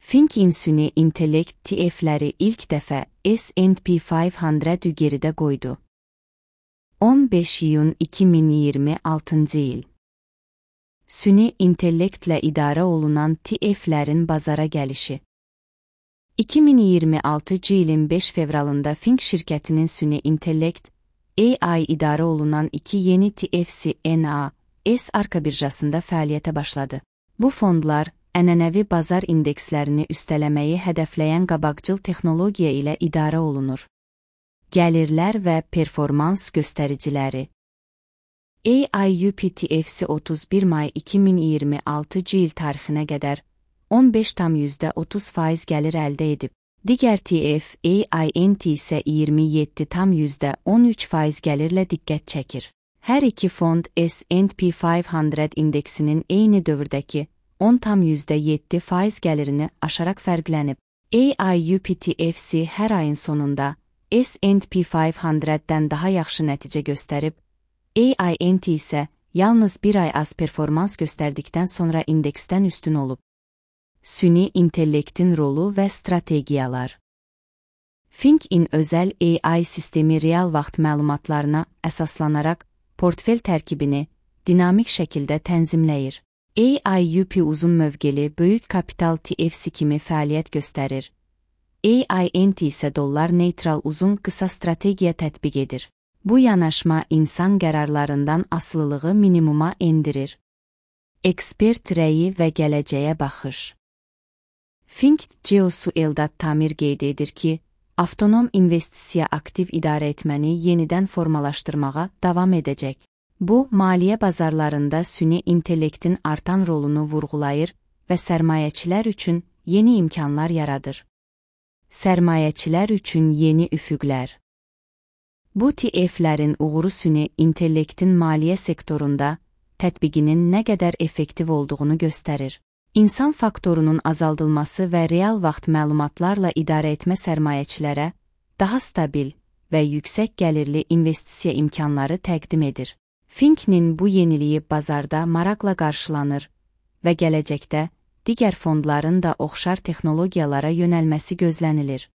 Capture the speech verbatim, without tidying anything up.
Finq-in süni intellekt T F-ləri ilk dəfə S and P beş yüzü geridə qoydu. on beş iyun iki min iyirmi altıncı il. Süni intellektlə idarə olunan T F-lərin bazara gəlişi. iki min iyirmi altıncı ilin beş fevralında Finq şirkətinin süni intellekt A I idarə olunan iki yeni T F C N A S arka birjasında fəaliyyətə başladı. Bu fondlar ənənəvi bazar indekslərini üstələməyi hədəfləyən qabaqcıl texnologiya ilə idarə olunur. Gəlirlər və performans göstəriciləri. A I U P T F C otuz bir may iki min iyirmi altıncı il tarixinə qədər on beş tam yüzdə otuz faiz gəlir əldə edib. Digər T F A I N T isə iyirmi yeddi tam yüzdə on üç faiz gəlirlə diqqət çəkir. Hər iki fond S and P beş yüz indeksinin eyni dövrdəki on tam yüzdə yeddi faiz gəlirini aşaraq fərqlənib. A I U P T F C hər ayın sonunda S and P beş yüzdən daha yaxşı nəticə göstərib, A I N T isə yalnız bir ay az performans göstərdikdən sonra indeksdən üstün olub. Süni intellektin rolu və strategiyalar. Finq-in özəl A I sistemi real vaxt məlumatlarına əsaslanaraq portfel tərkibini dinamik şəkildə tənzimləyir. A I U P uzun mövqeli böyük kapital T F C kimi fəaliyyət göstərir. A I N T isə dollar neytral uzun qısa strategiya tətbiq edir. Bu yanaşma insan qərarlarından asılılığı minimuma endirir. Ekspert rəyi və gələcəyə baxış. Finq C E O-su Eldad Tamir qeyd edir ki, avtonom investisiya aktiv idarə etməni yenidən formalaşdırmağa davam edəcək. Bu, maliyyə bazarlarında süni intellektin artan rolunu vurğulayır və sərmayəçilər üçün yeni imkanlar yaradır. Sərmayəçilər üçün yeni üfüqlər. Bu T F-lərin uğuru süni intellektin maliyyə sektorunda tətbiqinin nə qədər effektiv olduğunu göstərir. İnsan faktorunun azaldılması və real vaxt məlumatlarla idarə etmə sərmayəçilərə daha stabil və yüksək gəlirli investisiya imkanları təqdim edir. Finq-nin bu yeniliyi bazarda maraqla qarşılanır və gələcəkdə digər fondların da oxşar texnologiyalara yönəlməsi gözlənilir.